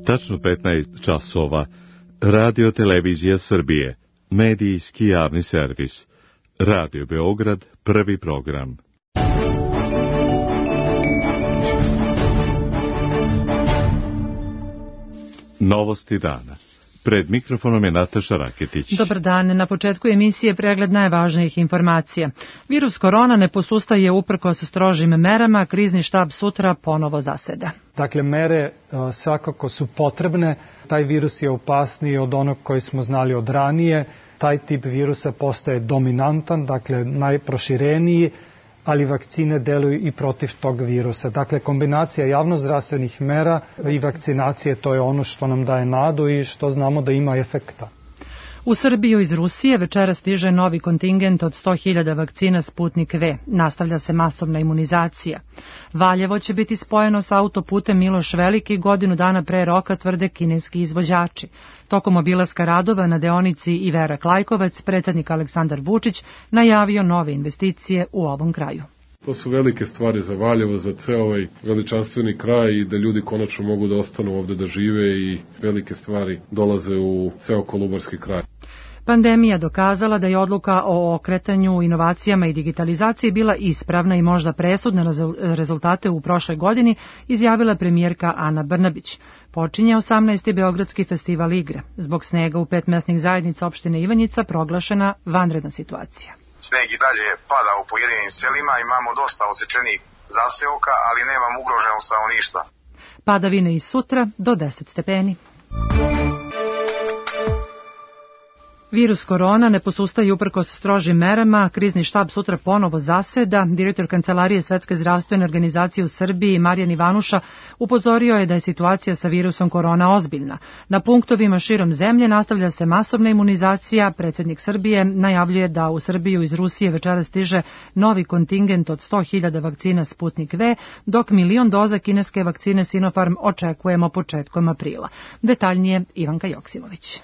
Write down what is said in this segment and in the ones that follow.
tačno 15 časova. Radio Televizija Srbije, medijski javni servis. Radio Beograd, prvi program. Novosti dana. Pred mikrofonom je Nataša Raketić. Dobar dan. Na početku emisije pregled najvažnijih informacija. Virus korona ne posustaje uprkos strožim merama, krizni štab sutra ponovo zaseda. Dakle, mere svakako su potrebne. Taj virus je opasniji od onog koji smo znali od ranije. Taj tip virusa postaje dominantan, dakle najprošireniji, ali vakcine deluju i protiv tog virusa. Dakle, kombinacija javnozdravstvenih mera i vakcinacije, to je ono što nam daje nadu i što znamo da ima efekta. U Srbiju iz Rusije večera stiže novi kontingent od 100.000 vakcina Sputnik V. Nastavlja se masovna imunizacija. Valjevo će biti spojeno sa autoputem Miloš Veliki godinu dana pre roka, tvrde kineski izvođači. Tokom obilaska radova na deonici Iverak Lajkovac, predsjednik Aleksandar Vučić najavio nove investicije u ovom kraju. To su velike stvari za Valjevo, za ceo ovaj veličanstveni kraj i da ljudi konačno mogu da ostanu ovde da žive i velike stvari dolaze u ceo Kolubarski kraj. Pandemija dokazala da je odluka o okretanju, inovacijama i digitalizaciji bila ispravna i možda presudna na rezultate u prošloj godini, izjavila premijerka Ana Brnabić. Počinje 18. Beogradski festival igre. Zbog snega u 5 mesnih zajednica opštine Ivanjica proglašena vanredna situacija. Sneg i dalje pada u pojedinim selima, imamo dosta odsečenih zaseoka, ali nemamo ugroženog stanovništva. Padavine i sutra do 10 stepeni. Virus korona ne posustaje uprkos strožim merama, krizni štab sutra ponovo zaseda. Direktor Kancelarije Svetske zdravstvene organizacije u Srbiji, Marijan Ivanuša, upozorio je da je situacija sa virusom korona ozbiljna. Na punktovima širom zemlje nastavlja se masovna imunizacija. Predsjednik Srbije najavljuje da u Srbiju iz Rusije večera stiže novi kontingent od 100.000 vakcina Sputnik V, dok 1.000.000 doza kineske vakcine Sinopharm očekujemo početkom aprila. Detaljnije Ivanka Joksimović.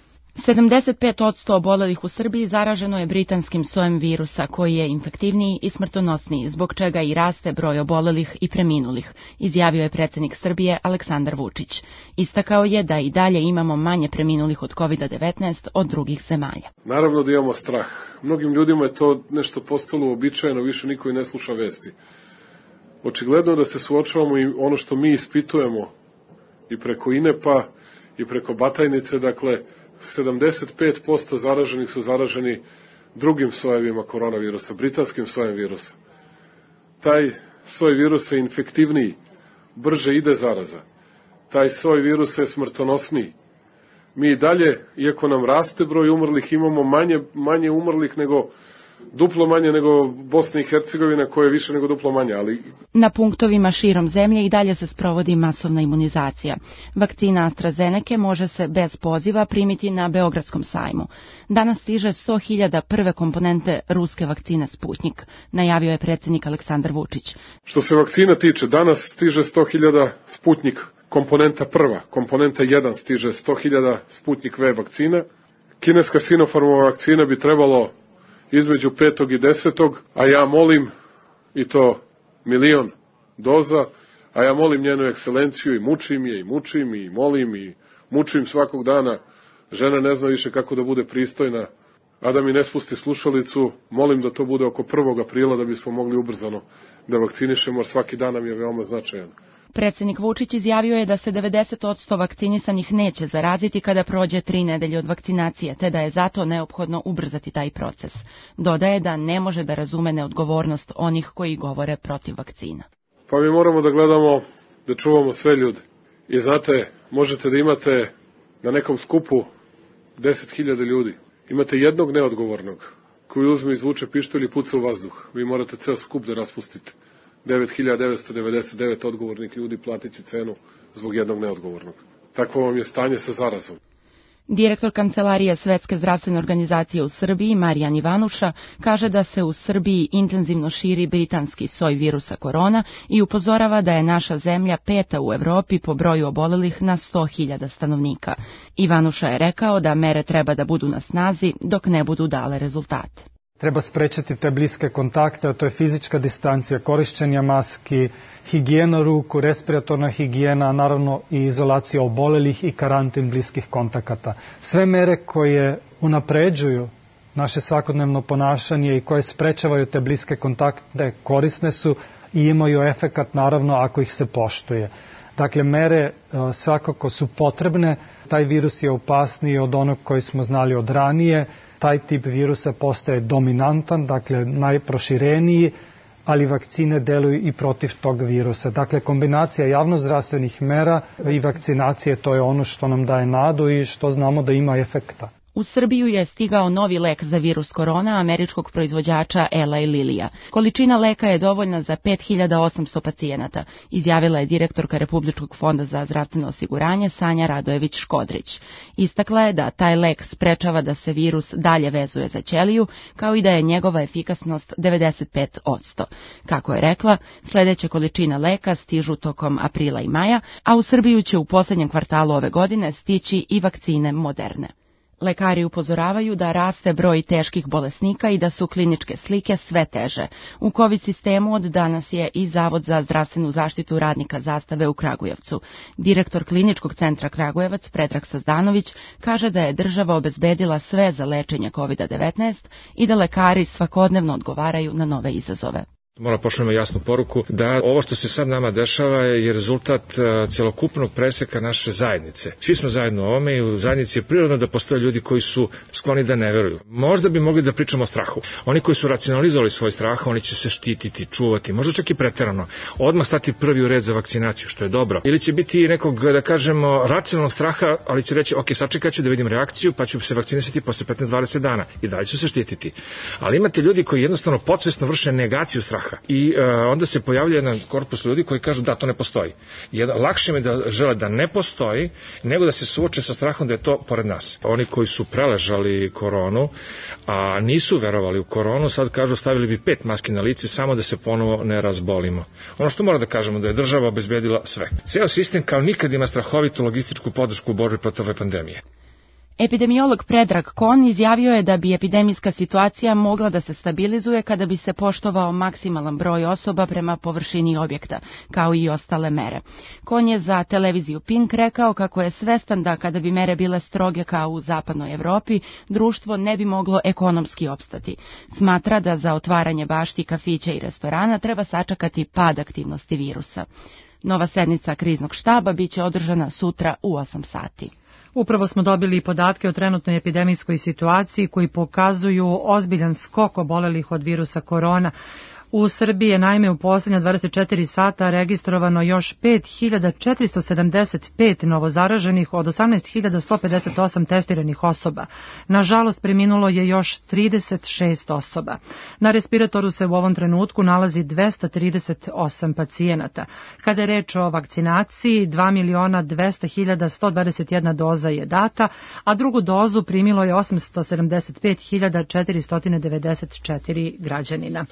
75% obolelih u Srbiji zaraženo je britanskim sojem virusa, koji je infektivniji i smrtonosniji, zbog čega i raste broj obolelih i preminulih, izjavio je predsjednik Srbije Aleksandar Vučić. Istakao je da i dalje imamo manje preminulih od COVID-19 od drugih zemalja. Naravno da imamo strah. Mnogim ljudima je to nešto postalo uobičajeno, više niko i ne sluša vesti. Očigledno da se suočavamo i ono što mi ispitujemo i preko INEP-a i preko Batajnice, dakle, 75% zaraženih su zaraženi drugim sojevima koronavirusa, britanskim sojem virusa. Taj soj virusa je infektivniji, brže ide zaraza. Taj soj virusa je smrtonosniji. Mi i dalje, iako nam raste broj umrlih, imamo manje umrlih duplo manje nego Bosna i Hercegovina, koja je više nego duplo manje, ali... Na punktovima širom zemlje i dalje se sprovodi masovna imunizacija. Vakcina AstraZeneca može se bez poziva primiti na Beogradskom sajmu. Danas stiže 100.000 prve komponente ruske vakcine Sputnik, najavio je predsjednik Aleksandar Vučić. Što se vakcina tiče, danas stiže 100.000 Sputnik komponenta prva, komponenta 1 stiže 100.000 Sputnik V vakcina. Kineska Sinopharmova vakcina bi trebalo između 5. i 10. a ja molim, i to 1.000.000 doza, a ja molim njenu ekscelenciju i mučim je, i molim i mučim svakog dana. Žena ne zna više kako da bude pristojna, a da mi ne spusti slušalicu. Molim da to bude oko 1. aprila da bismo mogli ubrzano da vakcinišemo, jer svaki dan nam je veoma značajan. Predsjednik Vučić izjavio je da se 90% vakcinisanih neće zaraziti kada prođe 3 nedelje od vakcinacije, te da je zato neophodno ubrzati taj proces. Dodaje da ne može da razume neodgovornost onih koji govore protiv vakcina. Pa mi moramo da gledamo, da čuvamo sve ljude. I znate, možete da imate na nekom skupu 10.000 ljudi. Imate jednog neodgovornog koji uzme, izvuče pištolj i puca u vazduh. Vi morate ceo skup da raspustite. 9.999 odgovornih ljudi platit će cenu zbog jednog neodgovornog. Takvo vam je stanje sa zarazom. Direktor Kancelarije Svetske zdravstvene organizacije u Srbiji, Marijan Ivanuša, kaže da se u Srbiji intenzivno širi britanski soj virusa korona i upozorava da je naša zemlja 5. u Evropi po broju obolelih na 100.000 stanovnika. Ivanuša je rekao da mere treba da budu na snazi dok ne budu dale rezultate. Treba sprečiti te bliske kontakte, a to je fizička distancija, korišćenja maski, higijena ruku, respiratorna higijena, naravno i izolacija obolelih i karantin bliskih kontakata. Sve mere koje unapređuju naše svakodnevno ponašanje i koje sprečavaju te bliske kontakte korisne su i imaju efekat naravno ako ih se poštuje. Dakle, mere svakako su potrebne, taj virus je opasniji od onog koji smo znali od ranije, taj tip virusa postaje dominantan, dakle najprošireniji, ali vakcine deluju i protiv tog virusa. Dakle, kombinacija javnozdravstvenih mera i vakcinacije, to je ono što nam daje nadu i što znamo da ima efekta. U Srbiju je stigao novi lek za virus korona američkog proizvođača Eli Lillyja. Količina leka je dovoljna za 5800 pacijenata, izjavila je direktorka Republičkog fonda za zdravstveno osiguranje Sanja Radojević-Škodrić. Istakla je da taj lek sprečava da se virus dalje vezuje za ćeliju, kao i da je njegova efikasnost 95%. Kako je rekla, sledeća količina leka stižu tokom aprila i maja, a u Srbiju će u poslednjem kvartalu ove godine stići i vakcine Moderne. Lekari upozoravaju da raste broj teških bolesnika i da su kliničke slike sve teže. U COVID sistemu od danas je i Zavod za zdravstvenu zaštitu radnika Zastave u Kragujevcu. Direktor Kliničkog centra Kragujevac Predrag Sazdanović kaže da je država obezbedila sve za lečenje COVID-19 i da lekari svakodnevno odgovaraju na nove izazove. Mora pošaljemo jasnu poruku da ovo što se sad nama dešava je rezultat celokupnog preseka naše zajednice. Svi smo zajedno u ovome i u zajednici je prirodno da postoje ljudi koji su skloni da ne veruju. Možda bi mogli da pričamo o strahu. Oni koji su racionalizovali svoj strah, oni će se štititi, čuvati, možda čak i preterano. Odmah stati prvi u red za vakcinaciju, što je dobro. Ili će biti nekog, da kažemo, racionalnog straha, ali će reći, ok, sačekat ću da vidim reakciju, pa ću se vakcinisati posle 15-20 dana i dalje ću se štititi. Ali imate ljudi koji jednostavno podsvesno vrše negaciju straha. I onda se pojavlja jedan korpus ljudi koji kažu da to ne postoji. Lakše mi da žele da ne postoji nego da se suoče sa strahom da je to pored nas. Oni koji su preležali koronu, a nisu verovali u koronu, sad kažu stavili bi 5 maski na lice samo da se ponovo ne razbolimo. Ono što mora da kažemo da je država obezbedila sve. Ceo sistem kao nikad ima strahovitu logističku podršku u borbi protiv ove pandemije. Epidemiolog Predrag Kon izjavio je da bi epidemijska situacija mogla da se stabilizuje kada bi se poštovao maksimalan broj osoba prema površini objekta, kao i ostale mere. Kon je za televiziju Pink rekao kako je svestan da kada bi mere bile stroge kao u zapadnoj Evropi, društvo ne bi moglo ekonomski opstati. Smatra da za otvaranje bašti, kafića i restorana treba sačekati pad aktivnosti virusa. Nova sednica kriznog štaba biće održana sutra u 8 sati. Upravo smo dobili podatke o trenutnoj epidemijskoj situaciji koji pokazuju ozbiljan skok obolelih od virusa korona. U Srbiji je naime u posljednja 24 sata registrovano još 5475 novozaraženih od 18.158 testiranih osoba. Nažalost, preminulo je još 36 osoba. Na respiratoru se u ovom trenutku nalazi 238 pacijenata. Kada je reč o vakcinaciji, 2.200.121 doza je data, a drugu dozu primilo je 875.494 građanina.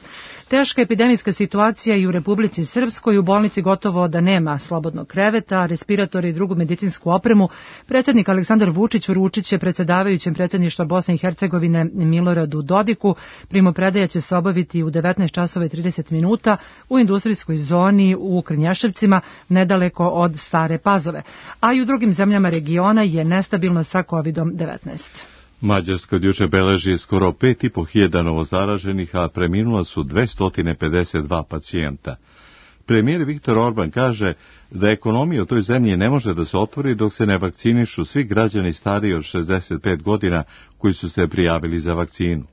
Teška epidemijska situacija i u Republici Srpskoj, u bolnici gotovo da nema slobodnog kreveta, respiratora i drugu medicinsku opremu. Predsjednik Aleksandar Vučić uručit će predsjedavajućem predsjedništva Bosne i Hercegovine Miloradu Dodiku. Primopredaja će se obaviti u 19:30 u industrijskoj zoni u Krnješevcima, nedaleko od Stare Pazove. A i u drugim zemljama regiona je nestabilno sa COVID-19. Mađarska od juče beleži skoro 5.500 novozaraženih, a preminula su 252 pacijenta. Premijer Viktor Orban kaže da ekonomija u toj zemlji ne može da se otvori dok se ne vakcinišu svi građani stariji od 65 godina koji su se prijavili za vakcinu.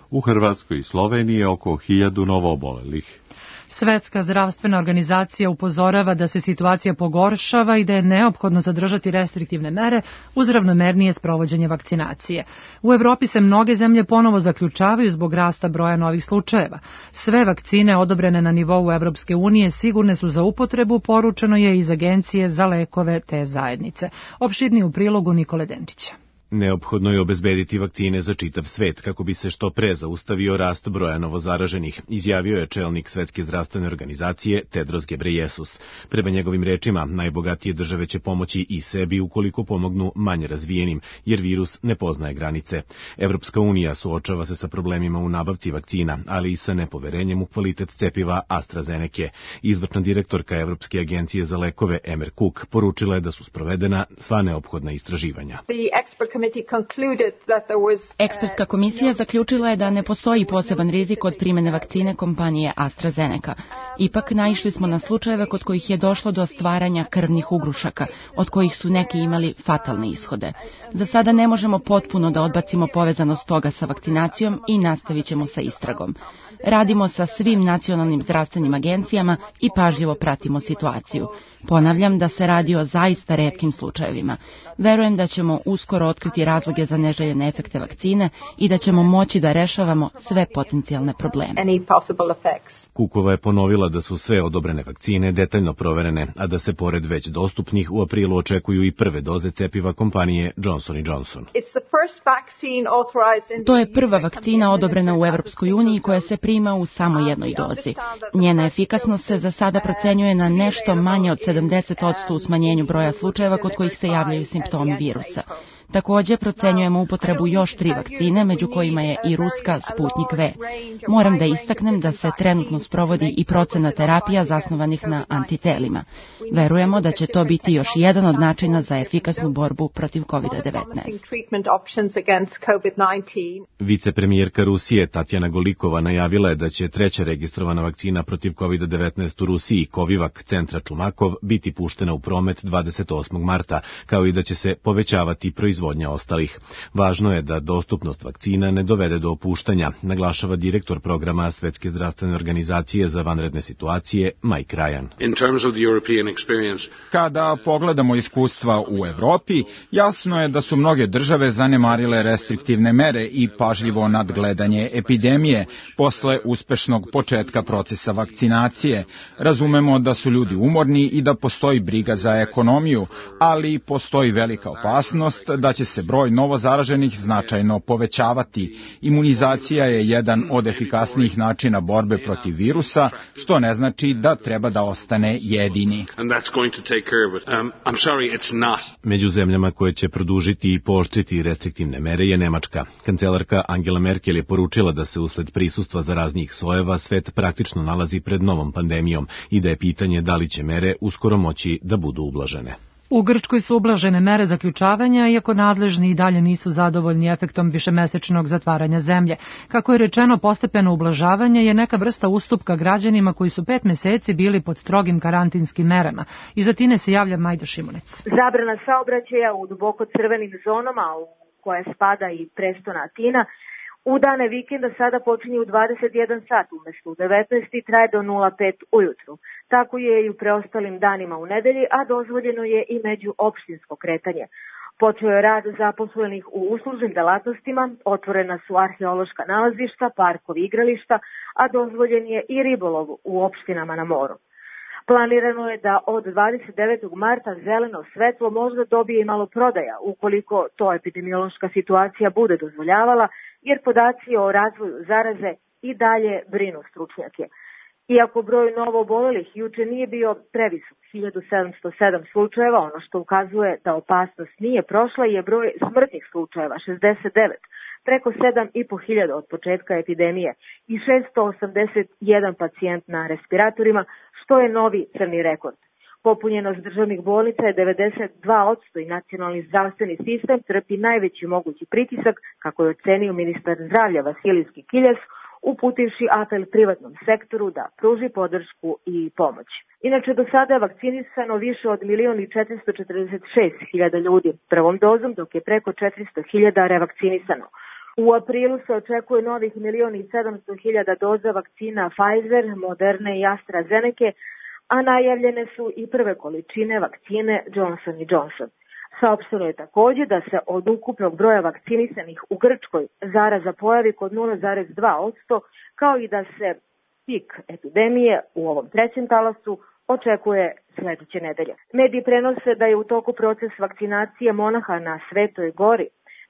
U Hrvatskoj i Sloveniji je oko 1000 novoobolelih. Svetska zdravstvena organizacija upozorava da se situacija pogoršava i da je neophodno zadržati restriktivne mere uz ravnomernije sprovođenje vakcinacije. U Evropi se mnoge zemlje ponovo zaključavaju zbog rasta broja novih slučajeva. Sve vakcine odobrene na nivou Evropske unije sigurne su za upotrebu, poručeno je iz Agencije za lekove te zajednice. Opširnije u prilogu Nikole Denčića. Neophodno je obezbediti vakcine za čitav svet kako bi se što pre zaustavio rast broja novozaraženih, izjavio je čelnik Svetske zdravstvene organizacije Tedros Ghebreyesus. Prema njegovim rečima, najbogatije države će pomoći i sebi ukoliko pomognu manje razvijenim, jer virus ne poznaje granice. Evropska unija suočava se sa problemima u nabavci vakcina, ali i sa nepoverenjem u kvalitet cepiva AstraZeneca. Izvršna direktorka Evropske agencije za lekove Emer Cook poručila je da su sprovedena sva neophodna istraživanja. Ekspertska komisija zaključila je da ne postoji poseban rizik od primene vakcine kompanije AstraZeneca. Ipak naišli smo na slučajeve kod kojih je došlo do stvaranja krvnih ugrušaka, od kojih su neki imali fatalne ishode. Za sada ne možemo potpuno da odbacimo povezanost toga sa vakcinacijom i nastavit ćemo sa istragom. Radimo sa svim nacionalnim zdravstvenim agencijama i pažljivo pratimo situaciju. Ponavljam da se radi o zaista retkim slučajevima. Verujem da ćemo uskoro otkriti razloge za neželjene efekte vakcine i da ćemo moći da rešavamo sve potencijalne probleme. Kukova je ponovila da su sve odobrene vakcine detaljno proverene, a da se pored već dostupnih u aprilu očekuju i prve doze cepiva kompanije Johnson & Johnson. To je prva vakcina odobrena u Evropskoj uniji koja se prima u samo jednoj dozi. Njena efikasnost se za sada procenjuje na nešto manje od 70% u smanjenju broja slučajeva kod kojih se javljaju simptomi virusa. Takođe, procenjujemo upotrebu još 3 vakcine, među kojima je i ruska Sputnik V. Moram da istaknem da se trenutno sprovodi i procena terapija zasnovanih na antitelima. Verujemo da će to biti još jedan od načina za efikasnu borbu protiv COVID-19. Vicepremijerka Rusije Tatjana Golikova najavila je da će treća registrovana vakcina protiv COVID-19 u Rusiji, Covivac centra Čumakov, biti puštena u promet 28. marta, kao i da će se povećavati proizvodnja ostalih. Važno je da dostupnost vakcina ne dovede do opuštanja, naglašava direktor programa Svetske zdravstvene organizacije za vanredne situacije Mike Ryan. Kada pogledamo iskustva u Evropi, jasno je da su mnoge države zanemarile restriktivne mere i pažljivo nadgledanje epidemije posle uspešnog početka procesa vakcinacije. Razumemo da su ljudi umorni i da postoji briga za ekonomiju, ali postoji velika opasnost da će se broj novozaraženih značajno povećavati. Imunizacija je jedan od efikasnijih načina borbe protiv virusa, što ne znači da treba da ostane jedini. Među zemljama koje će produžiti i pooštriti restriktivne mere je Nemačka. Kancelarka Angela Merkel je poručila da se usled prisustva zaraznih sojeva svet praktično nalazi pred novom pandemijom i da je pitanje da li će mere uskoro moći da budu ublažene. U Grčkoj su ublažene mere zaključavanja, iako nadležni i dalje nisu zadovoljni efektom višemesečnog zatvaranja zemlje. Kako je rečeno, postepeno ublažavanje je neka vrsta ustupka građanima koji su 5 meseci bili pod strogim karantinskim merama. Iz Atine se javlja Majda Šimunec. Zabrana saobraćaja u duboko crvenim zonama u koje spada i prestona Atina u dane vikenda sada počinje u 21 sat umesto u 19 i traje do 05 ujutru. Tako je i u preostalim danima u nedelji, a dozvoljeno je i međuopštinsko kretanje. Počeo je rad zaposlenih u uslužnim delatnostima, otvorena su arheološka nalazišta, parkovi, igrališta, a dozvoljen je i ribolov u opštinama na moru. Planirano je da od 29. marta zeleno svetlo možda dobije i malo prodaja, ukoliko to epidemiološka situacija bude dozvoljavala, jer podaci o razvoju zaraze i dalje brinu stručnjake. Iako broj novo obolelih juče nije bio previsok, 1707 slučajeva, ono što ukazuje da opasnost nije prošla je broj smrtnih slučajeva, 69, preko 7.500 od početka epidemije i 681 pacijent na respiratorima, što je novi crni rekord. Popunjenost državnih bolnica je 92% i nacionalni zdravstveni sistem trpi najveći mogući pritisak, kako je ocenio ministar zdravlja Vasilijski Kiljas, uputivši apel privatnom sektoru da pruži podršku i pomoć. Inače, do sada je vakcinisano više od 1.446.000 ljudi prvom dozom, dok je preko 400.000 revakcinisano. U aprilu se očekuje novih 1.700.000 doza vakcina Pfizer, Moderne i AstraZeneca, a najavljene su i prve količine vakcine Johnson & Johnson. Saopšteno je takođe da se od ukupnog broja vakcinisanih u Grčkoj zaraza pojavi kod 0,2%, kao i da se pik epidemije u ovom trećem talasu očekuje sledeće nedelje. Mediji prenose da je u toku proces vakcinacije monaha na Svetoj gori.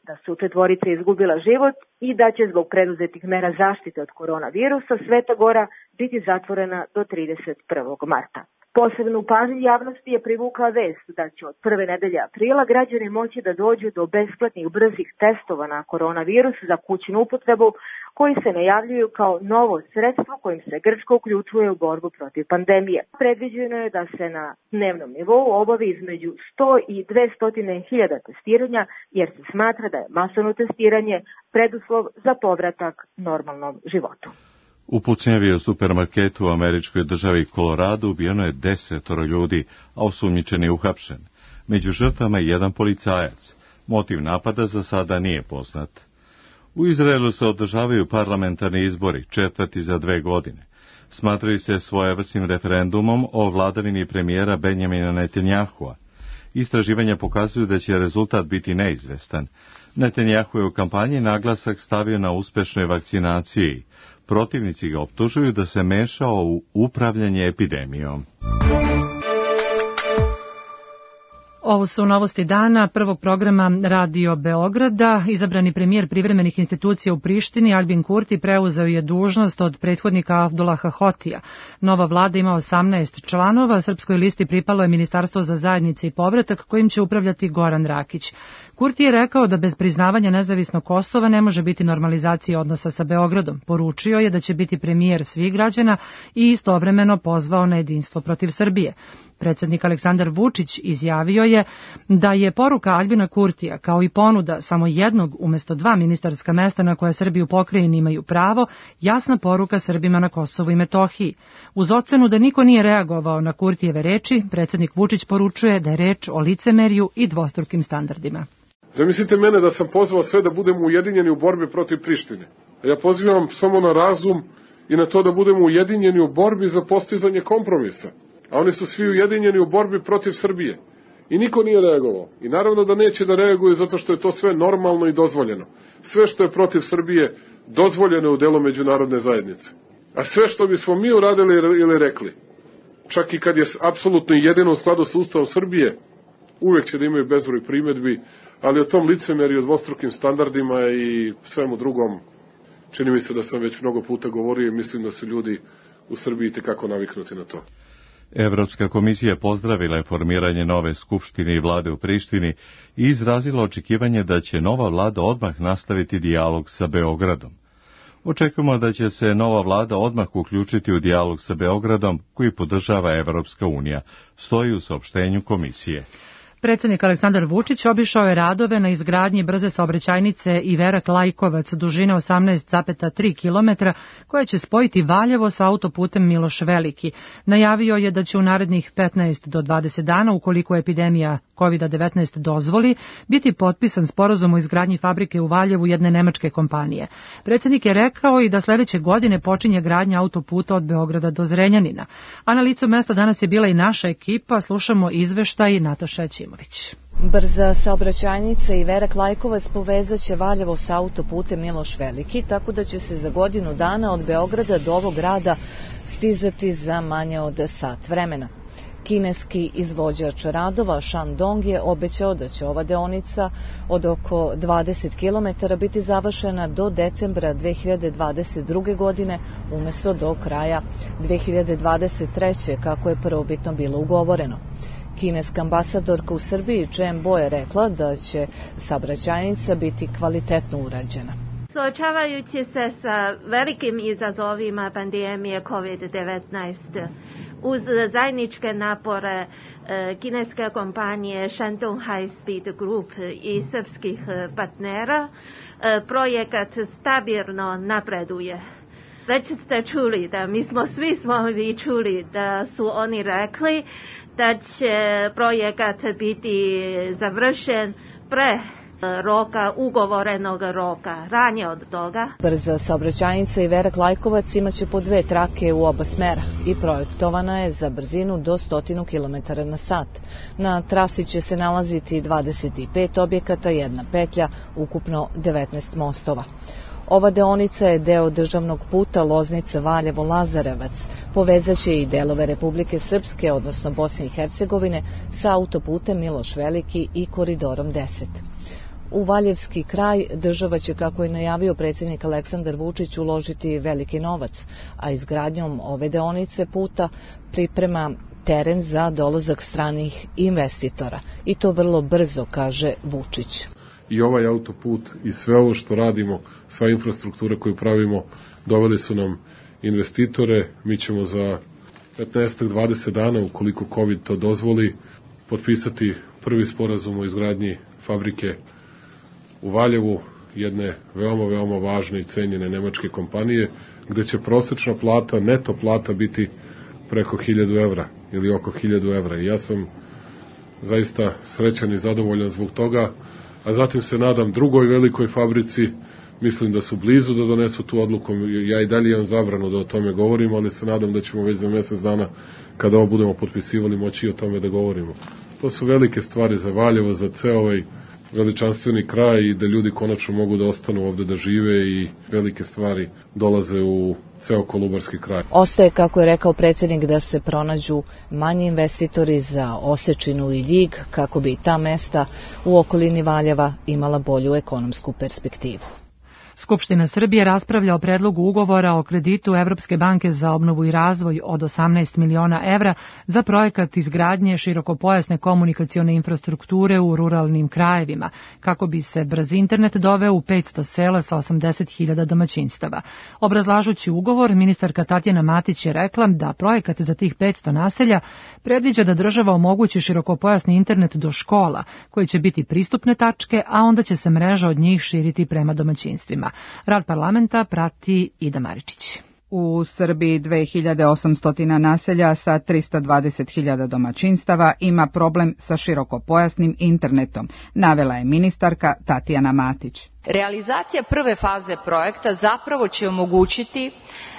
da su 4 izgubila život i da će zbog preduzetih mera zaštite od koronavirusa Sveta Gora biti zatvorena do 31. marta. Posebnu pažnju javnosti je privukla vest da će od prve nedelje aprila građani moći da dođu do besplatnih brzih testova na koronavirus za kućnu upotrebu, koji se najavljuju kao novo sredstvo kojim se Grčka uključuje u borbu protiv pandemije. Predviđeno je da se na dnevnom nivou obavi između 100 i 200 hiljada testiranja, jer se smatra da je masovno testiranje preduslov za povratak normalnom životu. U pucnjavi u supermarketu u američkoj državi Colorado ubijeno je 10 ljudi, a osumnjičen je uhapšen. Među žrtvama je jedan policajac. Motiv napada za sada nije poznat. U Izraelu se održavaju parlamentarni izbori, 4. za 2 godine. Smatraju se svojevrsnim referendumom o vladavini premijera Benjamina Netanjahua. Istraživanja pokazuju da će rezultat biti neizvestan. Netanjahu je u kampanji naglasak stavio na uspešnoj vakcinaciji. Protivnici ga optužuju da se mešao u upravljanje epidemijom. Ovo su novosti dana prvog programa Radio Beograda. Izabrani premijer privremenih institucija u Prištini, Albin Kurti, preuzeo je dužnost od prethodnika Abdullaha Hotija. Nova vlada ima 18 članova, srpskoj listi pripalo je Ministarstvo za zajednice i povratak, kojim će upravljati Goran Rakić. Kurti je rekao da bez priznavanja nezavisnog Kosova ne može biti normalizacije odnosa sa Beogradom. Poručio je da će biti premijer svih građana i istovremeno pozvao na jedinstvo protiv Srbije. Predsjednik Aleksandar Vučić izjavio je da je poruka Albina Kurtija, kao i ponuda samo jednog umjesto 2 ministarska mesta na koje Srbi u pokrajini imaju pravo, jasna poruka Srbima na Kosovu i Metohiji. Uz ocenu da niko nije reagovao na Kurtijeve reči, predsjednik Vučić poručuje da je reč o licemerju i dvostrukim standardima. Zamislite mene da sam pozvao sve da budemo ujedinjeni u borbi protiv Prištine. Ja pozivam samo na razum i na to da budemo ujedinjeni u borbi za postizanje kompromisa. A oni su svi ujedinjeni u borbi protiv Srbije. I niko nije reagovao. I naravno da neće da reaguju zato što je to sve normalno i dozvoljeno. Sve što je protiv Srbije dozvoljeno u delu međunarodne zajednice. A sve što bismo mi uradili ili rekli, čak i kad je apsolutno jedino u skladu sa Ustavom Srbije, uvek će da imaju bezbroj primedbi, ali o tom licemerju, dvostrukim standardima i svemu drugom, čini mi se da sam već mnogo puta govorio i mislim da su ljudi u Srbiji tekako naviknuti na to. Evropska komisija pozdravila je formiranje nove skupštine i vlade u Prištini i izrazila očekivanje da će nova vlada odmah nastaviti dijalog sa Beogradom. Očekujemo da će se nova vlada odmah uključiti u dijalog sa Beogradom koji podržava Evropska unija, stoji u saopštenju komisije. Predsjednik Aleksandar Vučić obišao je radove na izgradnji brze saobraćajnice Iverak-Lajkovac dužine 18,3 km koja će spojiti Valjevo sa autoputem Miloš Veliki. Najavio je da će u narednih 15 do 20 dana, ukoliko epidemija COVID-19 dozvoli, biti potpisan sporazum o izgradnji fabrike u Valjevu jedne nemačke kompanije. Predsjednik je rekao i da sljedeće godine počinje gradnja autoputa od Beograda do Zrenjanina. A na licu mesta danas je bila i naša ekipa, slušamo izveštaj Nataša Ćimović. Brza saobraćajnica Iverak-Lajkovac povezat će Valjevo sa autoputem Miloš Veliki, tako da će se za godinu dana od Beograda do ovog grada stizati za manje od sat vremena. Kineski izvođač radova Shandong je obećao da će ova deonica od oko 20 km biti završena do decembra 2022. godine umjesto do kraja 2023. kako je prvobitno bilo ugovoreno. Kineska ambasadorka u Srbiji Chen Bo je rekla da će saobraćajnica biti kvalitetno urađena. Suočavajući se sa velikim izazovima pandemije COVID-19, uz zajedničke napore kineske kompanije Shandong High Speed Group i srpskih partnera, projekat stabilno napreduje. Već ste čuli da svi smo čuli da su oni rekli da će projekat biti završen pre ugovorenog roka, ranije od toga. Brza saobraćajnica Iverak-Lajkovac imaće po 2 trake u oba smera i projektovana je za brzinu do 100 km na sat. Na trasi će se nalaziti 25 objekata, 1 petlja, ukupno 19 mostova. Ova deonica je deo državnog puta Loznica-Valjevo-Lazarevac. Povezaće i delove Republike Srpske, odnosno Bosne i Hercegovine, sa autoputem Miloš Veliki i koridorom 10. U Valjevski kraj država će, kako je najavio predsjednik Aleksandar Vučić, uložiti veliki novac, a izgradnjom ove deonice puta priprema teren za dolazak stranih investitora. I to vrlo brzo, kaže Vučić. I ovaj autoput i sve ovo što radimo, sva infrastruktura koju pravimo, doveli su nam investitore. Mi ćemo za 15-20 dana, ukoliko COVID to dozvoli, potpisati prvi sporazum o izgradnji fabrike u Valjevu, jedne veoma važne i cenjene nemačke kompanije, gde će prosečna plata, neto plata biti preko 1000 evra ili oko 1000 evra. I ja sam zaista srećan i zadovoljan zbog toga, a zatim se nadam drugoj velikoj fabrici. Mislim da su blizu da donesu tu odluku. Ja i dalje imam zabranu da o tome govorim, ali se nadam da ćemo već za mjesec dana, kada ovo budemo potpisivali, moći i o tome da govorimo. To su velike stvari za Valjevo, za ceo ovaj veličanstveni kraj i da ljudi konačno mogu da ostanu ovde da žive i velike stvari dolaze u ceo Kolubarski kraj. Ostaje, kako je rekao predsjednik, da se pronađu manji investitori za Osečinu i Ljig, kako bi ta mesta u okolini Valjeva imala bolju ekonomsku perspektivu. Skupština Srbije raspravlja o predlogu ugovora o kreditu Evropske banke za obnovu i razvoj od 18 miliona evra za projekat izgradnje širokopojasne komunikacione infrastrukture u ruralnim krajevima, kako bi se brz internet doveo u 500 sela sa 80.000 domaćinstava. Obrazlažući ugovor, ministarka Tatjana Matić je rekla da projekat za tih 500 naselja predviđa da država omogući širokopojasni internet do škola, koji će biti pristupne tačke, a onda će se mreža od njih širiti prema domaćinstvima. Rad parlamenta prati Ida Maričić. U Srbiji 2800 naselja sa 320.000 domaćinstava ima problem sa širokopojasnim internetom, navela je ministarka Tatjana Matić. Realizacija prve faze projekta zapravo će omogućiti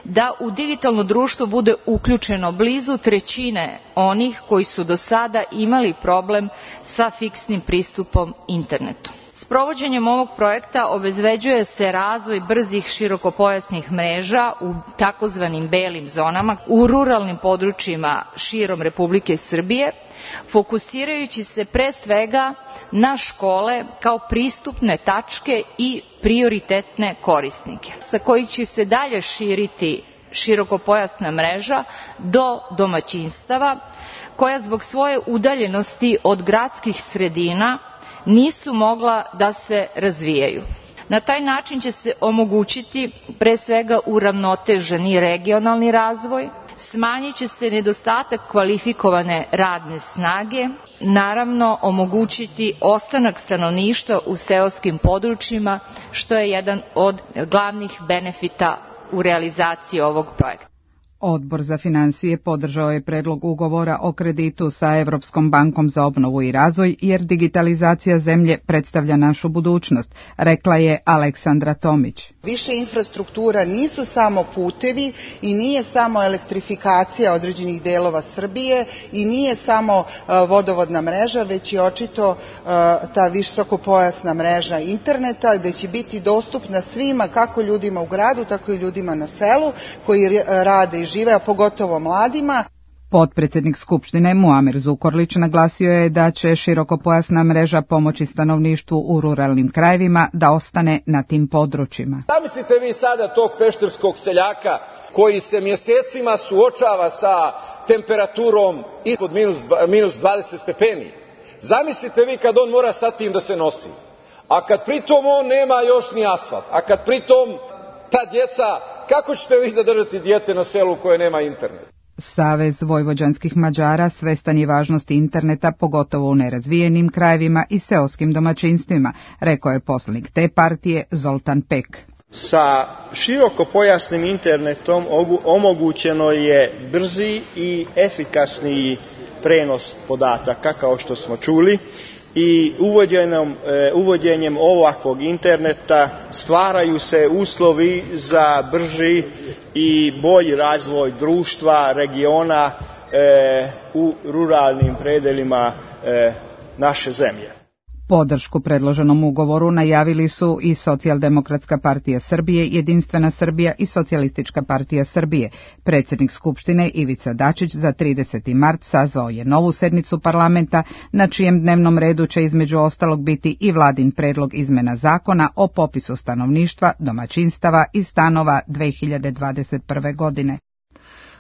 da u digitalno društvo bude uključeno blizu 1/3 onih koji su do sada imali problem sa fiksnim pristupom internetu. Sprovođenjem ovog projekta obezbeđuje se razvoj brzih širokopojasnih mreža u takozvanim belim zonama u ruralnim područjima širom Republike Srbije, fokusirajući se pre svega na škole kao pristupne tačke i prioritetne korisnike, sa kojih će se dalje širiti širokopojasna mreža do domaćinstava, koja zbog svoje udaljenosti od gradskih sredina nisu mogla da se razvijaju. Na taj način će se omogućiti pre svega uravnoteženi regionalni razvoj, smanjit će se nedostatak kvalifikovane radne snage, naravno omogućiti ostanak stanovništva u seoskim područjima, što je jedan od glavnih benefita u realizaciji ovog projekta. Odbor za finansije podržao je predlog ugovora o kreditu sa Evropskom bankom za obnovu i razvoj, jer digitalizacija zemlje predstavlja našu budućnost, rekla je Aleksandra Tomić. Više infrastruktura nisu samo putevi i nije samo elektrifikacija određenih delova Srbije i nije samo vodovodna mreža, već i očito ta visokopojasna mreža interneta, gde će biti dostupna svima, kako ljudima u gradu, tako i ljudima na selu koji rade i žive, a pogotovo mladima. Potpredsjednik Skupštine Muamer Zukorlić naglasio je da će širokopojasna mreža pomoći stanovništvu u ruralnim krajevima da ostane na tim područjima. Zamislite vi sada tog pešterskog seljaka koji se mjesecima suočava sa temperaturom ispod minus 20 stepeni. Zamislite vi kad on mora sa tim da se nosi. A kad pritom on nema još ni asfalt. A kad pritom ta djeca, kako ćete vi zadržati dijete na selu koje nema internet? Savez vojvođanskih Mađara svestan je važnosti interneta, pogotovo u nerazvijenim krajevima i seoskim domaćinstvima, rekao je poslanik te partije Zoltan Pek. Sa širokopojasnim internetom omogućeno je brzi i efikasniji prenos podataka, kao što smo čuli, i uvođenjem ovakvog interneta stvaraju se uslovi za brži i bolji razvoj društva, regiona u ruralnim predelima naše zemlje. Podršku predloženom ugovoru najavili su i Socijaldemokratska partija Srbije, Jedinstvena Srbija i Socijalistička partija Srbije. Predsjednik Skupštine Ivica Dačić za 30. mart sazvao je novu sednicu parlamenta, na čijem dnevnom redu će između ostalog biti i vladin predlog izmena zakona o popisu stanovništva, domaćinstava i stanova 2021. godine.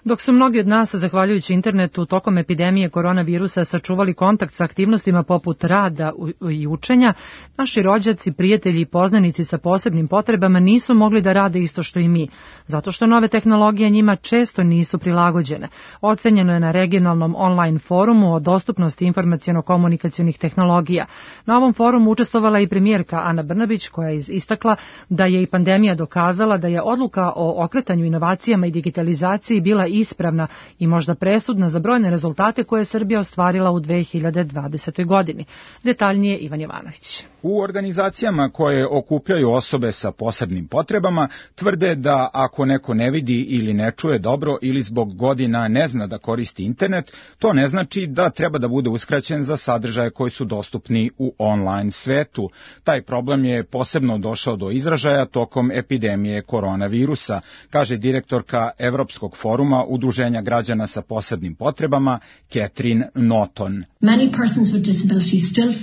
Dok su mnogi od nas, zahvaljujući internetu, tokom epidemije koronavirusa sačuvali kontakt sa aktivnostima poput rada i učenja, naši rođaci, prijatelji i poznanici sa posebnim potrebama nisu mogli da rade isto što i mi, zato što nove tehnologije njima često nisu prilagođene. Ocenjeno je na regionalnom online forumu o dostupnosti informaciono-komunikacionih tehnologija. Na ovom forumu učestvovala i premijerka Ana Brnabić, koja je istakla da je i pandemija dokazala da je odluka o okretanju inovacijama i digitalizaciji bila ispravna i možda presudna za brojne rezultate koje je Srbija ostvarila u 2020. godini. Detaljnije Ivan Jovanović. U organizacijama koje okupljaju osobe sa posebnim potrebama tvrde da ako neko ne vidi ili ne čuje dobro ili zbog godina ne zna da koristi internet, to ne znači da treba da bude uskraćen za sadržaje koji su dostupni u online svetu. Taj problem je posebno došao do izražaja tokom epidemije koronavirusa, kaže direktorka Evropskog foruma Udruženja građana sa posebnim potrebama Catherine Norton.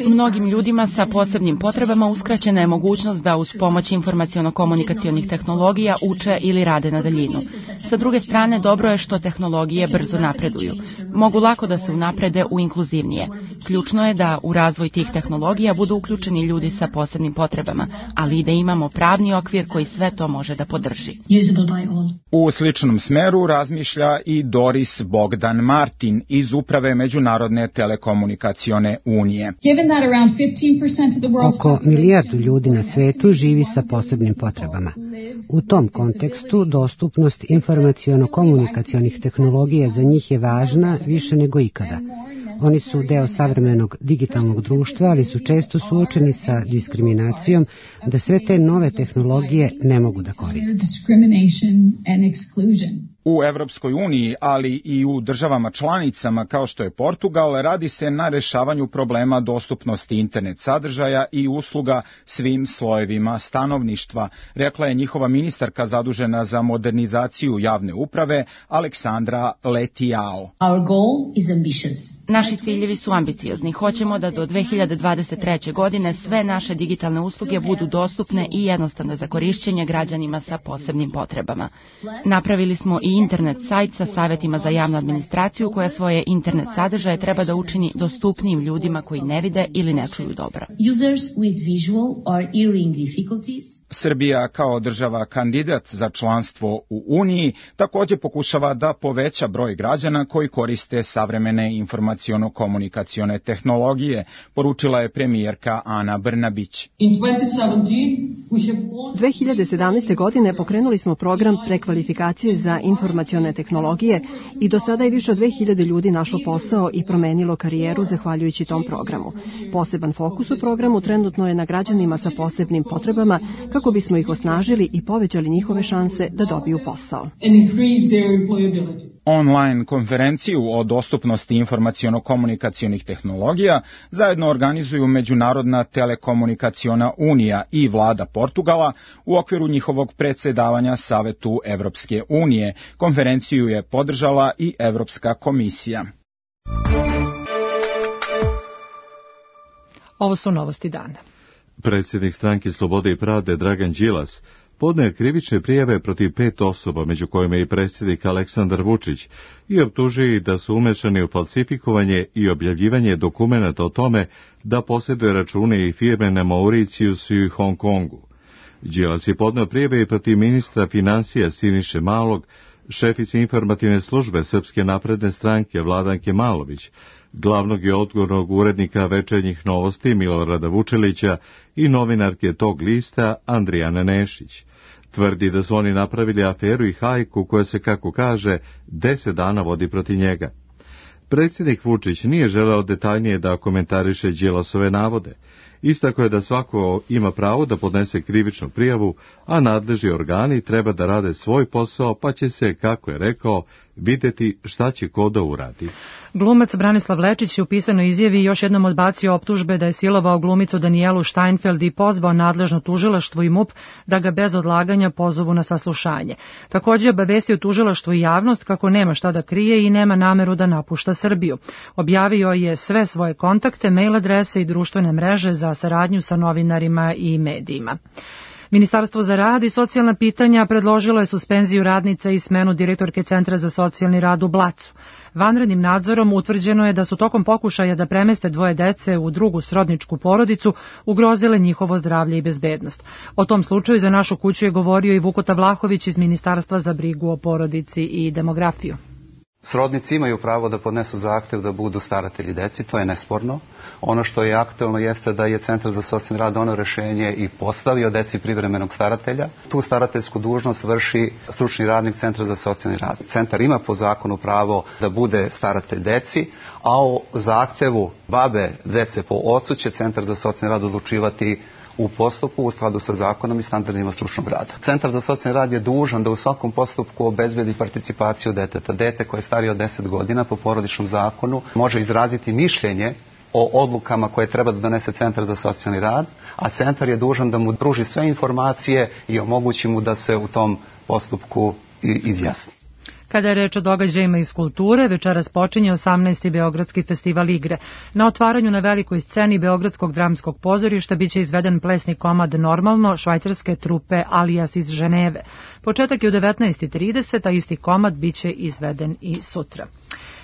Mnogim ljudima sa posebnim potrebama uskraćena je mogućnost da uz pomoć informaciono-komunikacionih tehnologija uče ili rade na daljinu. Sa druge strane, dobro je što tehnologije brzo napreduju. Mogu lako da se unaprede u inkluzivnije. Ključno je da u razvoj tih tehnologija budu uključeni ljudi sa posebnim potrebama, ali i da imamo pravni okvir koji sve to može da podrži. U sličnom smeru razmišlja i Doris Bogdan Martin iz Uprave Međunarodne telekomunikacione unije. Oko milijardu ljudi na svetu živi sa posebnim potrebama. U tom kontekstu dostupnost informaciono-komunikacionih tehnologija za njih je važna više nego ikada. Oni su deo savremenog digitalnog društva, ali su često suočeni sa diskriminacijom da sve te nove tehnologije ne mogu da koriste. U Evropskoj uniji, ali i u državama članicama kao što je Portugal, radi se na rešavanju problema dostupnosti internet sadržaja i usluga svim slojevima stanovništva, rekla je njihova ministarka zadužena za modernizaciju javne uprave Aleksandra Letiao. Naši ciljevi su ambiciozni. Hoćemo da do 2023. godine sve naše digitalne usluge budu dostupne i jednostavne za korišćenje građanima sa posebnim potrebama. Napravili smo i internet sajt sa savetima za javnu administraciju koja svoje internet sadržaje treba da učini dostupnijim ljudima koji ne vide ili ne čuju dobro. Srbija kao država kandidat za članstvo u Uniji također pokušava da poveća broj građana koji koriste savremene informaciono-komunikacione tehnologije, poručila je premijerka Ana Brnabić. 2017. godine pokrenuli smo program prekvalifikacije za informacione tehnologije i do sada je više od 2000 ljudi našlo posao i promenilo karijeru zahvaljujući tom programu. Poseban fokus u programu trenutno je na građanima sa posebnim potrebama kako bismo ih osnažili i povećali njihove šanse da dobiju posao. Online konferenciju o dostupnosti informaciono-komunikacionih tehnologija zajedno organizuju Međunarodna telekomunikaciona unija i vlada Portugala u okviru njihovog predsjedavanja Savetu Evropske unije. Konferenciju je podržala i Evropska komisija. Ovo su novosti dana. Predsjednik stranke Slobode i pravde Dragan Đilas podneo krivične prijave protiv 5 osoba, među kojima je i predsjednik Aleksandar Vučić, i optužuje da su umešani u falsifikovanje i objavljivanje dokumenata o tome da posjeduje račune i firme na Mauricijusu i Hong Kongu. Đilas je podneo prijave i protiv ministra finansija Siniše Malog, šefice informativne službe Srpske napredne stranke Vladanke Malović, glavnog i odgovornog urednika Večernjih novosti Milorada Vučelića i novinarke tog lista Andrijane Nešić. Tvrdi da su oni napravili aferu i hajku koja se, kako kaže, 10 dana vodi protiv njega. Predsjednik Vučić nije želeo detaljnije da komentariše Đilasove navode. Istako je da svako ima pravo da podnese krivičnu prijavu, a nadležni organi treba da rade svoj posao, pa će se, kako je rekao, videti šta će ko da uradi. Glumac Branislav Lečić je u pisanoj izjavi još jednom odbacio optužbe da je silovao glumicu Danijelu Steinfeld i pozvao nadležno tužilaštvo i MUP da ga bez odlaganja pozovu na saslušanje. Također je obavestio tužilaštvo i javnost kako nema šta da krije i nema nameru da napušta Srbiju. Objavio je sve svoje kontakte, mail adrese i društvene mreže za saradnju sa novinarima i medijima. Ministarstvo za rad i socijalna pitanja predložilo je suspenziju radnica i smenu direktorke Centra za socijalni rad u Blacu. Vanrednim nadzorom utvrđeno je da su tokom pokušaja da premeste dvoje dece u drugu srodničku porodicu ugrozile njihovo zdravlje i bezbednost. O tom slučaju za našu kuću je govorio i Vukota Vlahović iz Ministarstva za brigu o porodici i demografiju. Srodnici imaju pravo da podnesu zahtev da budu staratelji deci, to je nesporno. Ono što je aktuelno jeste da je Centar za socijalni rad doneo rešenje i postavio deci privremenog staratelja. Tu starateljsku dužnost vrši stručni radnik Centra za socijalni rad. Centar ima po zakonu pravo da bude staratelj deci, a o zahtevu babe dece po ocu će Centar za socijalni rad odlučivati u postupku u skladu sa zakonom i standardima stručnog rada. Centar za socijalni rad je dužan da u svakom postupku obezbedi participaciju deteta. Dete koje je starije od 10 godina po porodičnom zakonu može izraziti mišljenje o odlukama koje treba da donese Centar za socijalni rad, a centar je dužan da mu pruži sve informacije i omogući mu da se u tom postupku izjasni. Kada je reč o događajima iz kulture, večeras počinje 18. Beogradski festival igre. Na otvaranju na velikoj sceni Beogradskog dramskog pozorišta biće izveden plesni komad Normalno švajcarske trupe Alias iz Ženeve. Početak je u 19:30, a isti komad biće izveden i sutra.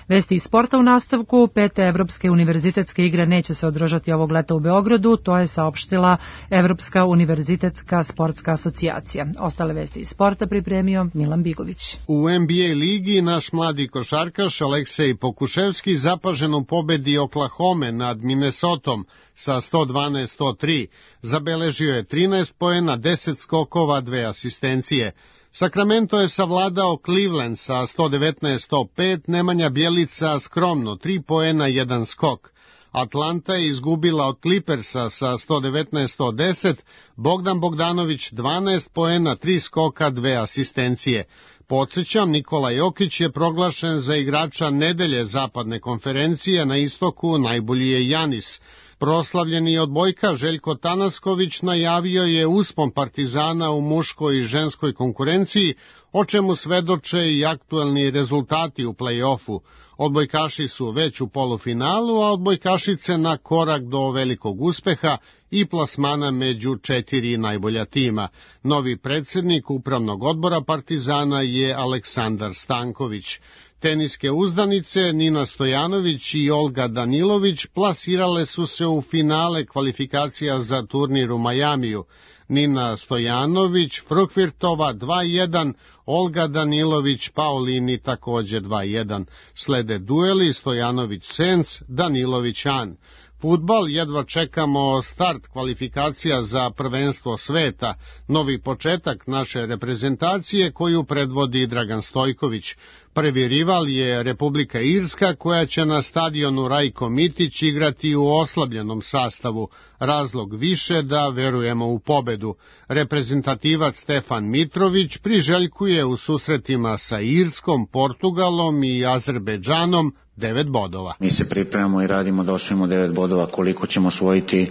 Vesti iz sporta u nastavku. 5. Evropske univerzitetske igre neće se održati ovog leta u Beogradu, to je saopštila Evropska univerzitetska sportska asocijacija. Ostale vesti iz sporta pripremio Milan Bigović. U NBA ligi naš mladi košarkaš Aleksej Pokuševski zapažen u pobedi Oklahome nad Minnesotom sa 112-103. Zabeležio je 13 poena, 10 skokova, 2 asistencije. Sacramento je savladao Cleveland sa 119-105, Nemanja Bjelica skromno 3 poena, 1 skok. Atlanta je izgubila od Clippersa sa 119-110, Bogdan Bogdanović 12 poena, 3 skoka, 2 asistencije. Podsjećam, Nikola Jokić je proglašen za igrača nedelje zapadne konferencije, na istoku najbolji je Janis. Proslavljeni odbojka Željko Tanasković najavio je uspon Partizana u muškoj i ženskoj konkurenciji, o čemu svedoče i aktuelni rezultati u play-offu. Odbojkaši su već u polufinalu, a odbojkašice na korak do velikog uspeha i plasmana među 4 najbolja tima. Novi predsjednik upravnog odbora Partizana je Aleksandar Stanković. Teniske uzdanice Nina Stojanović i Olga Danilović plasirale su se u finale kvalifikacija za turnir u Majamiju. Nina Stojanović Frukvirtova 2-1, Olga Danilović Paulini također 2-1. Slede dueli Stojanović-Sens, Danilović-An. Fudbal, jedva čekamo start kvalifikacija za prvenstvo sveta, novi početak naše reprezentacije koju predvodi Dragan Stojković. Prvi rival je Republika Irska koja će na stadionu Rajko Mitić igrati u oslabljenom sastavu, razlog više da verujemo u pobedu. Reprezentativac Stefan Mitrović priželjkuje u susretima sa Irskom, Portugalom i Azerbejdžanom 9 bodova. Mi se pripremamo i radimo da osvojimo 9 bodova, koliko ćemo osvojiti.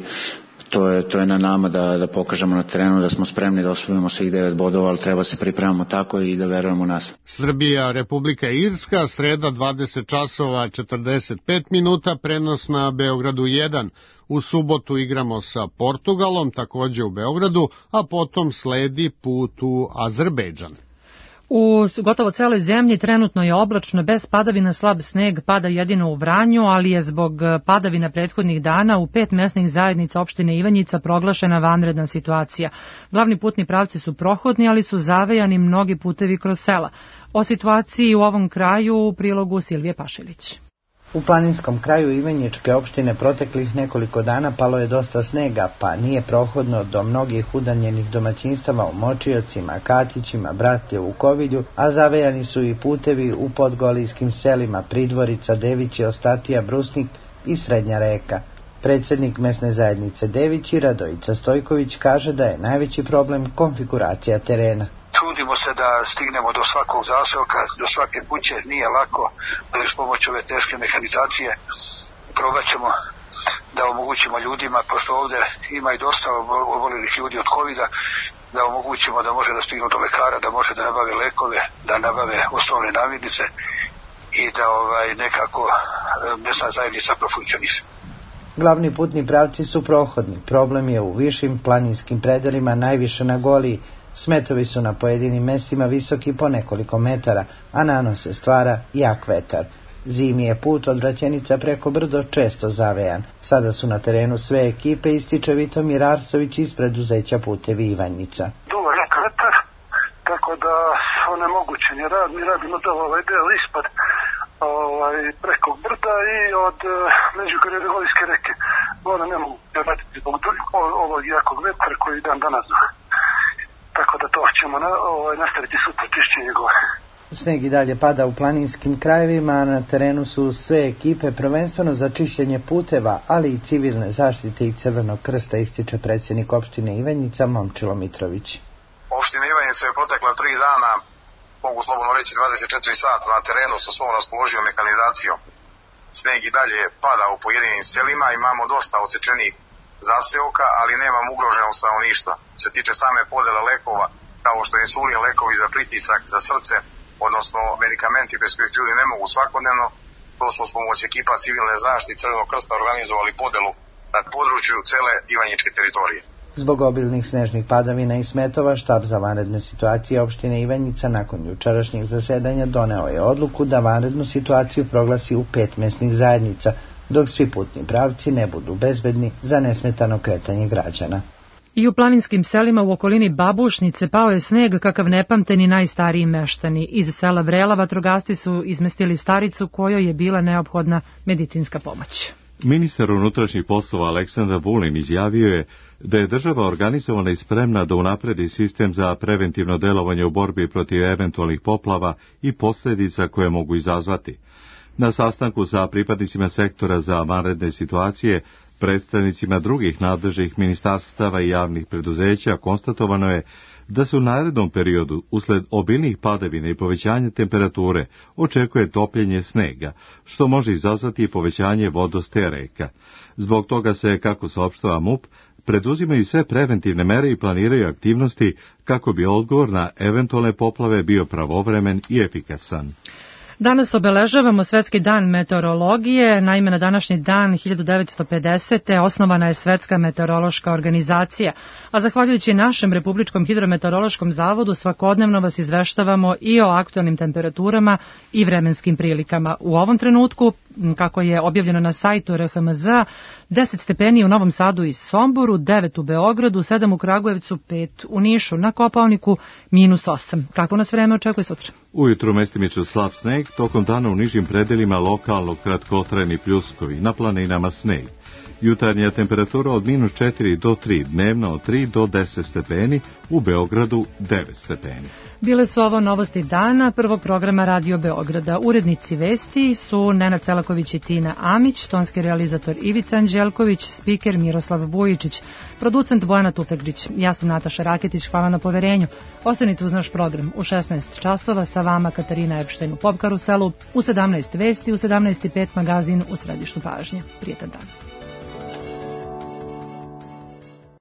To je na nama da pokažemo na terenu da smo spremni da osvojimo svih 9 bodova, ali treba se pripremamo tako i da verujemo u nas. Srbija, Republika Irska, sreda 20 časova 45 minuta, prenos na Beogradu 1. U subotu igramo sa Portugalom, također u Beogradu, a potom sledi put u Azerbejdžan. U gotovo celoj zemlji trenutno je oblačno, bez padavina, slab sneg, pada jedino u Vranju, ali je zbog padavina prethodnih dana u 5 mesnih zajednica opštine Ivanjica proglašena vanredna situacija. Glavni putni pravci su prohodni, ali su zavejani mnogi putevi kroz sela. O situaciji u ovom kraju u prilogu Silvije Pašilić. U planinskom kraju Ivanjičke opštine proteklih nekoliko dana palo je dosta snega, pa nije prohodno do mnogih udaljenih domaćinstava u Močiocima, Katićima, Bratljevu, Kovilju, a zavejani su i putevi u podgolijskim selima Pridvorica, Devići, Ostatija, Brusnik i Srednja Reka. Predsednik mesne zajednice Devići, Radojica Stojković, kaže da je najveći problem konfiguracija terena. Trudimo se da stignemo do svakog zaseoka, do svake kuće, nije lako, ali s pomoć ove teške mehanizacije probat ćemo da omogućimo ljudima, pošto ovde ima i dosta obolelih ljudi od COVID-a, da omogućimo da može da stignu do lekara, da može da nabave lekove, da nabave osnovne namirnice i da nekako mesna zajednica profunkcioniše. Glavni putni pravci su prohodni. Problem je u višim planinskim predelima, najviše na Goliji. Smetovi su na pojedinim mestima visoki po nekoliko metara, a nanose stvara jak vetar. Zimi je put od Vraćenica preko brdo često zavejan. Sada su na terenu sve ekipe, ističe Vitomir Arsović iz preduzeća Putevi Ivanjica. Duva jak vetar, tako da onemogućen je rad. Mi radimo ovaj del ispod preko brda i od Međugorje-Golijske reke. Voda ne mogu raditi zbog ovog jakog vetra koji dan danas. Tako da to ćemo nastaviti sutra čišćenje gore. Sneg i dalje pada u planinskim krajevima, a na terenu su sve ekipe prvenstveno za čišćenje puteva, ali i civilne zaštite i Crvenog krsta, ističe predsjednik opštine Ivanjica Momčilo Mitrović. Opština Ivanjica je protekla 3 dana, mogu slobodno reći 24 sata na terenu sa svom raspoloživom mehanizacijom. Sneg i dalje pada u pojedinim selima, imamo dosta odsečenih zaseoka, ali nemamo ugroženog stanovništva. Se tiče same podele lekova, kao što je insulin, lekovi za pritisak, za srce, odnosno medikamenti bez kojih ljudi ne mogu svakodnevno, to smo s pomoć ekipa civilne zaštite Crvenog krsta organizovali podelu na području cele Ivanjičke teritorije. Zbog obilnih snežnih padavina i smetova, štab za vanredne situacije opštine Ivanjica nakon jučerašnjeg zasedanja doneo je odluku da vanrednu situaciju proglasi u 5 mesnih zajednica, dok svi putni pravci ne budu bezbedni za nesmetano kretanje građana. I u planinskim selima u okolini Babušnice pao je sneg kakav ne pamte ni najstariji meštani. Iz sela Vrela vatrogasci su izmestili staricu kojoj je bila neophodna medicinska pomoć. Ministar unutrašnjih poslova Aleksandar Vulin izjavio je da je država organizovana i spremna da unapredi sistem za preventivno delovanje u borbi protiv eventualnih poplava i posljedica koje mogu izazvati. Na sastanku sa pripadnicima sektora za vanredne situacije, predstavnicima drugih nadležnih ministarstava i javnih preduzeća konstatovano je da se u narednom periodu, usled obilnih padavina i povećanja temperature, očekuje topljenje snega, što može izazvati povećanje vodostaja reka. Zbog toga se, kako saopštava MUP, preduzimaju sve preventivne mere i planiraju aktivnosti kako bi odgovor na eventualne poplave bio pravovremen i efikasan. Danas obeležavamo Svetski dan meteorologije. Naime, na današnji dan 1950. osnovana je Svetska meteorološka organizacija, a zahvaljujući našem Republičkom hidrometeorološkom zavodu svakodnevno vas izveštavamo i o aktualnim temperaturama i vremenskim prilikama. U ovom trenutku, kako je objavljeno na sajtu RHMZ, 10 stepeni u Novom Sadu i Somboru, 9 u Beogradu, 7 u Kragujevcu, 5 u Nišu, na Kopaoniku -8. Kako nas vreme očekuje sutra? Ujutru mestimično slab sneg, tokom dana u nižim predelima lokalno kratkotrajni pljuskovi, na planinama sneg. Jutarnja temperatura od -4 do 3, dnevna od 3 do 10 stepeni, u Beogradu 9 stepeni. Bile su ovo novosti dana prvog programa Radio Beograda. Urednici vesti su Nenad Celaković i Tina Amić, tonski realizator Ivica Anđelković, spiker Miroslav Bujičić, producent Bojana Tupegđić. Ja sam Nataša Raketić, hvala na poverenju. Ostanite uz naš program u 16 časova, sa vama Katarina Epštajn u Pop Karuselu, u 17 vesti, u 17:05 magazin u središtu pažnje. Prijetan dan.